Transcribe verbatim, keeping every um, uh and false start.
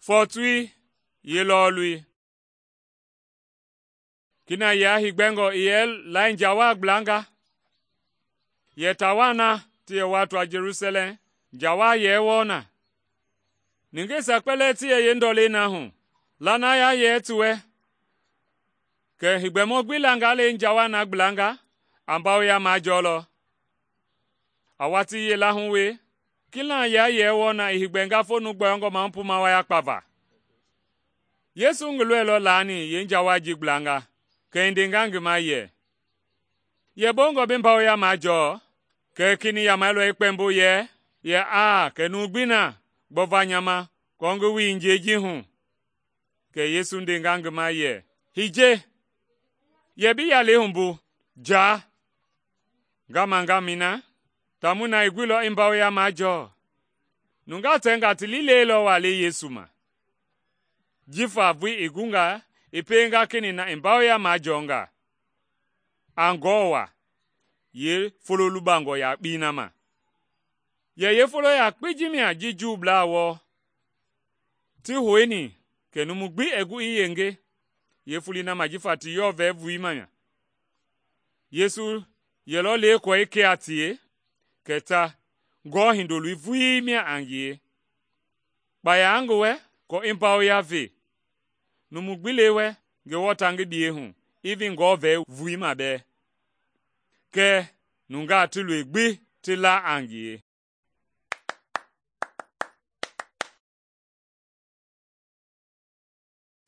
Fɔɔtui yeelɔɔlui. Kina yia higbɛngɔ i yɛ lai njawaa gblanga. Yɛ tawaa na ti yɛ wuatua Jelusalɛm, njawaa yɛɛ wɔɔ na. Nungeisia kpɛlɛɛ ti yɛ yeendɔlei na hu, lanaya yɛɛ ti wɛ. Kɛ heegbɛmɔ gbi langa le njawaa na gblanga, a mbawoya majɔɔlɔ. A watii yila hu we, kila yia yɛɛ wɔɔ na i heegbɛnga fo nu gbɔyɔngɔ mahu puma waya kpava. Yesu ngi lɔilɔ laani yeenjawaa ji gblanga, kɛ i ndenga ngi ma yɛ, “Yɛ bongɔ bi mbawoya majɔɔ?” Kɛ i kenii yamailɔ i kpɛmbo yɛ, yɛ aa, kɛ numu gbi na gbɔva nya ma aako ngi wui njɛi ji hu. Kɛ Yesu ndenga ngi ma yɛ, “Hiye, yɛ bi yalei humbu, jaa!” Nga mangamɛi na, taamɔi na i guilɔ i mbawoya majɔɔ. Nungaa tɛnga ti liilɛi lɔ waa le Yesu ma. Jifa voi i gunga i pienga kenɛi na i mbawoya majɔɔnga, a ngɔɔ wa yeefolo lubangɔ yakpei na ma. Yɛ yeefolo yakpei ji mia ji Juublaa wɔɔ ti houni kɛ numu gbi i gu i yenge yeefoloi na ma jifa ti yɔɔvɛi voi mia. Yesu yɛlɔ le kɔɔ i ke a tie, kɛ ta ngɔɔ hindoloi vulii mia a ngie. Kpaya a ngi wɛ aako i mbawoya ve. Numu gbi le wɛ Ngewɔ ta ngi biyei hu, i vi ngɔɔ vɛi vui ma bɛɛ. Kɛɛ nungaa ti loi gbi ti la a ngie.